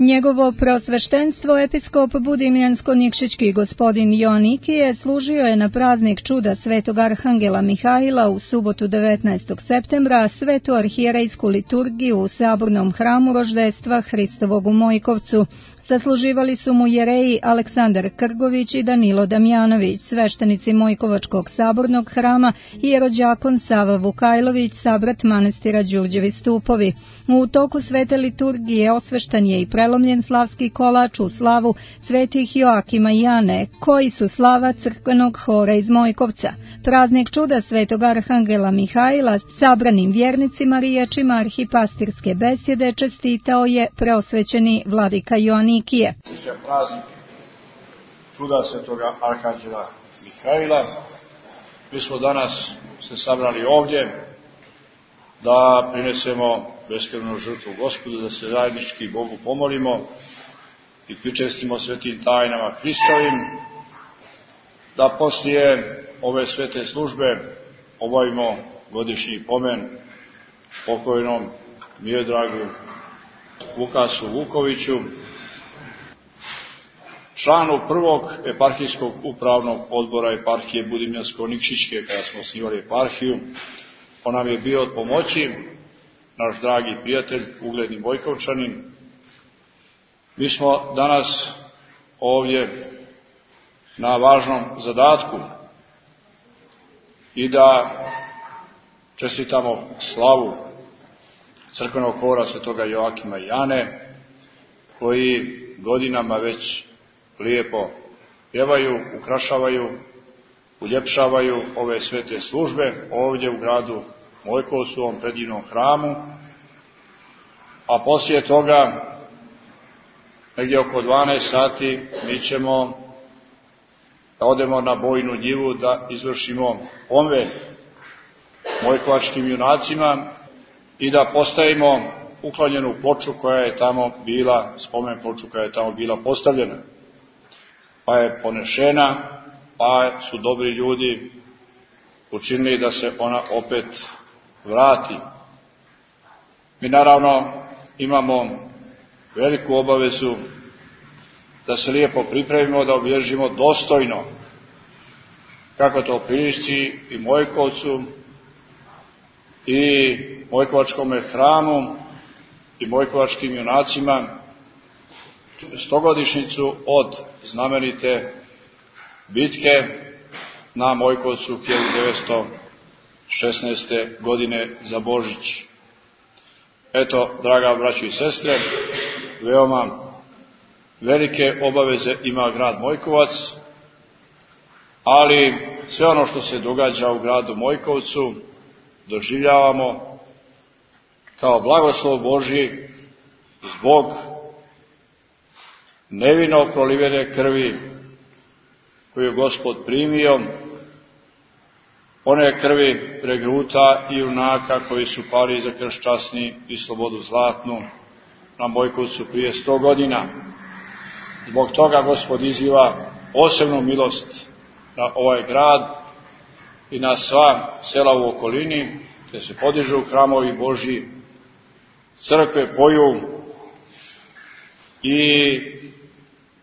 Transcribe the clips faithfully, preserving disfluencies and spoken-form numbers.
Njegovo preosveštenstvo episkop Budimljansko-Nikšićki gospodin Joanikije služio je na praznik čuda svetog arhangela Mihajla u subotu devetnaestog septembra svetu arhijerejsku liturgiju u sabornom hramu Roždestva Hristovog u Mojkovcu. Sasluživali su mu jereji Aleksandar Krgović i Danilo Damjanović, sveštenici Mojkovačkog sabornog hrama i jerođakon Sava Vukajlović, sabrat manastira Đurđevi stupovi. U toku svete liturgije osveštan je i prelomljen slavski kolač u slavu svetih Joakima i Jane, koji su slava crkvenog hora iz Mojkovca. Praznik čuda svetog arhangela Mihajla sabranim vjernicima riječima arhipastirske besjede čestitao je preosvećeni vladika Joanikije. Praznik čuda svetoga arhangela Mihajla. Mi smo danas se sabrali ovdje da prinesemo beskrvnu žrtvu Gospodu, da se zajednički Bogu pomolimo i pričestimo svetim tajnama Hristovim, da poslije ove svete službe obavimo godišnji pomen pokojnom Miodragu Vukasu Vukoviću, članu prvog eparhijskog upravnog odbora eparhije Budimljansko-Nikšićke, kada smo osnivali eparhiju. On nam je bio od pomoći, naš dragi prijatelj, ugledni Mojkovčanin. Mi smo danas ovdje na važnom zadatku i da čestitamo slavu crkvenog hora svetoga Joakima i Jane, koji godinama već lijepo pjevaju, ukrašavaju, uljepšavaju ove svete službe ovdje u gradu Mojkovcu, u ovom predivnom hramu, a poslije toga, negdje oko dvanaest sati, mi ćemo da odemo na bojnu njivu da izvršimo pomen mojkovačkim junacima i da postavimo uklonjenu ploču koja je tamo bila, spomen ploču koja je tamo bila postavljena, pa je ponešena, pa su dobri ljudi učinili da se ona opet vrati. Mi naravno imamo veliku obavezu da se lijepo pripremimo, da obilježimo dostojno, kako to priliči i Mojkovcu, i Mojkovačkom hramu, i Mojkovačkim junacima, stogodišnjicu od znamenite bitke na Mojkovcu hiljadu devetsto šesnaeste. godine za Božić. Eto, draga braćo i sestre, veoma velike obaveze ima grad Mojkovac, ali sve ono što se događa u gradu Mojkovcu doživljavamo kao blagoslov Božji zbog nevino prolivene krvi koju je Gospod primio, one krvi regruta i junaka koji su pali za krst časni i slobodu zlatnu na Mojkovcu prije sto godina. Zbog toga Gospod iziva posebnu milost na ovaj grad i na sva sela u okolini, gdje se podižu hramovi Božji, crkve poju i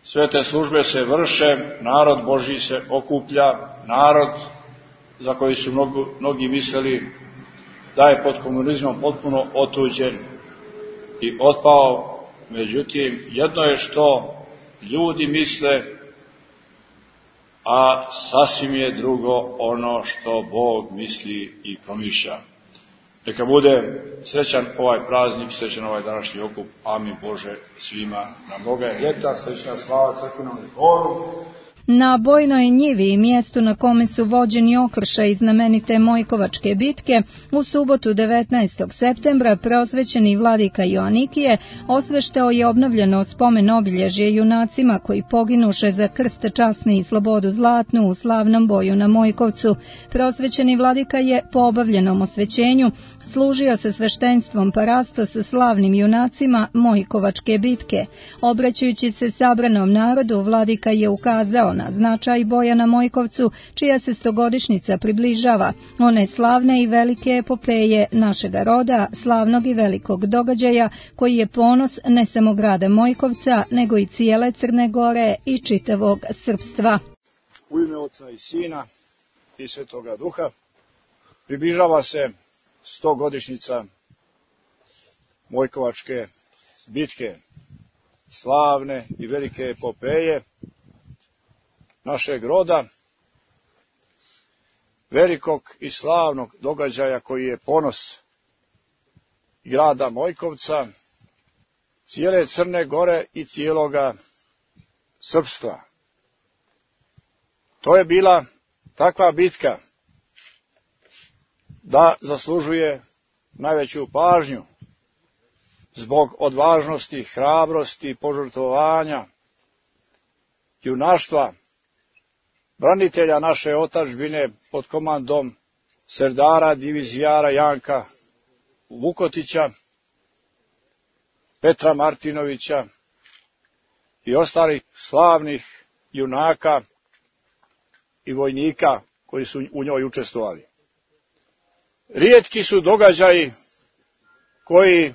sve te službe se vrše, narod Božji se okuplja, narod za koji su mnogi, mnogi mislili da je pod komunizmom potpuno otuđen i otpao. Međutim, jedno je što ljudi misle, a sasvim je drugo ono što Bog misli i promišlja. Neka bude srećan ovaj praznik, srećan ovaj današnji okup. Amin Bože svima na Boga je ljeta, srećna slava crkvenom horu. Na bojnoj njivi i mjestu na kome su vođeni okršaji znamenite Mojkovačke bitke, u subotu devetnaestog septembra preosvećeni vladika Joanikije osveštao je obnovljeno spomen obilježje junacima koji poginuše za krst časni i slobodu zlatnu u slavnom boju na Mojkovcu. Preosvećeni vladika je po obavljenom osvećenju služio se sveštenstvom pa rasto sa slavnim junacima Mojkovačke bitke. Obraćajući se sabranom narodu, vladika je ukazao na značaj boja na Mojkovcu, čija se stogodišnjica približava, one slavne i velike epopeje našega roda, slavnog i velikog događaja, koji je ponos ne samo grada Mojkovca, nego i cijele Crne Gore i čitavog srpstva. U ime Oca i Sina i Svetoga Duha približava se stogodišnjica Mojkovačke bitke, slavne i velike epopeje našeg roda, velikog i slavnog događaja koji je ponos grada Mojkovca, cijele Crne Gore i cijeloga srpstva. To je bila takva bitka da zaslužuje najveću pažnju zbog odvažnosti, hrabrosti, požrtvovanja, junaštva, branitelja naše otadžbine pod komandom serdara, divizijara Janka Vukotića, Petra Martinovića i ostalih slavnih junaka i vojnika koji su u njoj učestvovali. Rijetki su događaji koji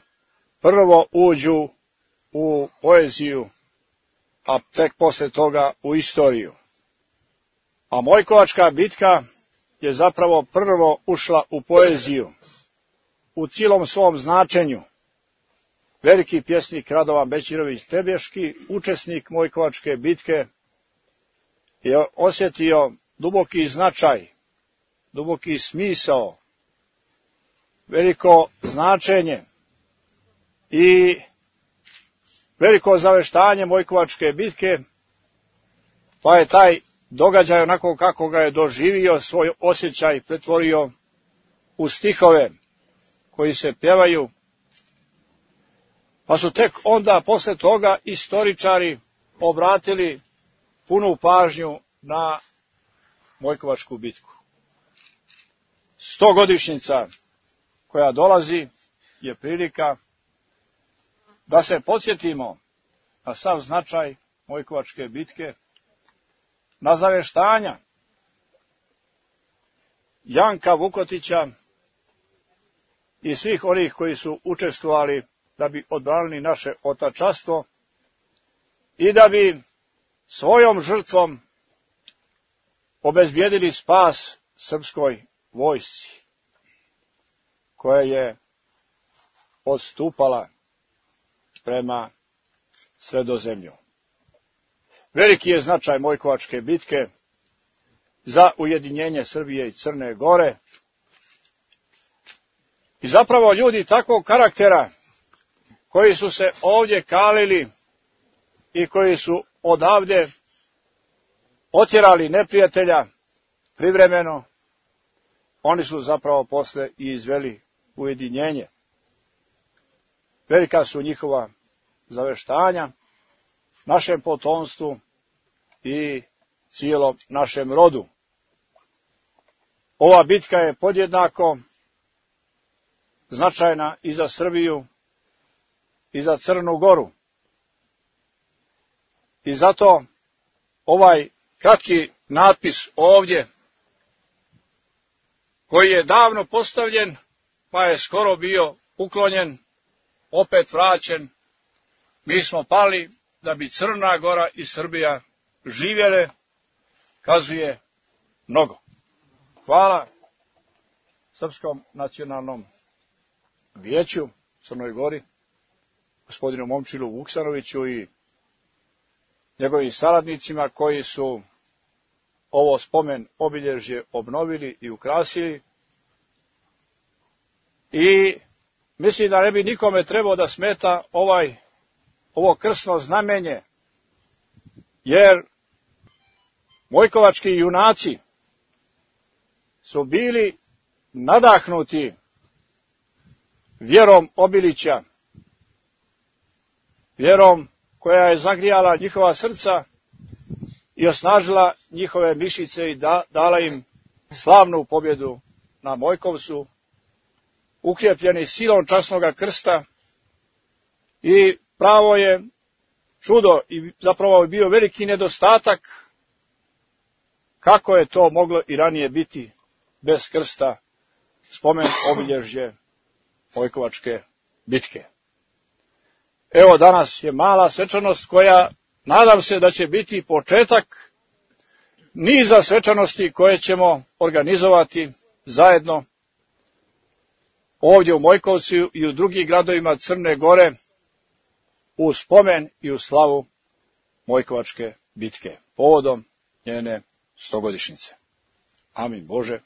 prvo uđu u poeziju, a tek posle toga u istoriju. A Mojkovačka bitka je zapravo prvo ušla u poeziju, u cijelom svom značenju. Veliki pjesnik Radovan Bećirović Tebeški, učesnik Mojkovačke bitke, je osjetio duboki značaj, duboki smisao, veliko značenje i veliko zaveštanje Mojkovačke bitke, pa je taj događaj onako kako ga je doživio, svoj osjećaj pretvorio u stihove koji se pjevaju, pa su tek onda posle toga istoričari obratili punu pažnju na Mojkovačku bitku. Stogodišnjica koja dolazi je prilika da se podsjetimo na sav značaj Mojkovačke bitke, na zaveštanja Janka Vukotića i svih onih koji su učestvovali da bi odbranili naše otačanstvo i da bi svojom žrtvom obezbijedili spas srpskoj vojsci koja je odstupala prema Sredozemlju. Veliki je značaj Mojkovačke bitke za ujedinjenje Srbije i Crne Gore i zapravo ljudi takvog karaktera koji su se ovdje kalili i koji su odavde otjerali neprijatelja privremeno, oni su zapravo posle i izveli ujedinjenje. Velika su njihova zaveštanja našem potomstvu i cijelom našem rodu. Ova bitka je podjednako značajna i za Srbiju i za Crnu Goru. I zato ovaj kratki natpis ovdje, koji je davno postavljen, pa je skoro bio uklonjen, opet vraćen, mi smo pali da bi Crna Gora i Srbija živjele, kazuje mnogo. Hvala Srpskom nacionalnom vijeću Crnoj Gori, gospodinu Momčilu Vuksanoviću i njegovim saradnicima koji su ovo spomen obilježje obnovili i ukrasili. I mislim da ne bi nikome trebao da smeta ovaj, ovo krsno znamenje, jer Mojkovački junaci su bili nadahnuti vjerom Obilića, vjerom koja je zagrijala njihova srca i osnažila njihove mišiće i da, dala im slavnu pobjedu na Mojkovcu ukrepljeni silom časnoga krsta i pravo je čudo i zapravo je bio veliki nedostatak kako je to moglo i ranije biti bez krsta, spomen obilježje Mojkovačke bitke. Evo danas je mala svečanost koja nadam se da će biti početak niza svečanosti koje ćemo organizovati zajedno ovdje u Mojkovcu i u drugim gradovima Crne Gore u spomen i u slavu Mojkovačke bitke povodom njene stogodišnjice. Amin Bože.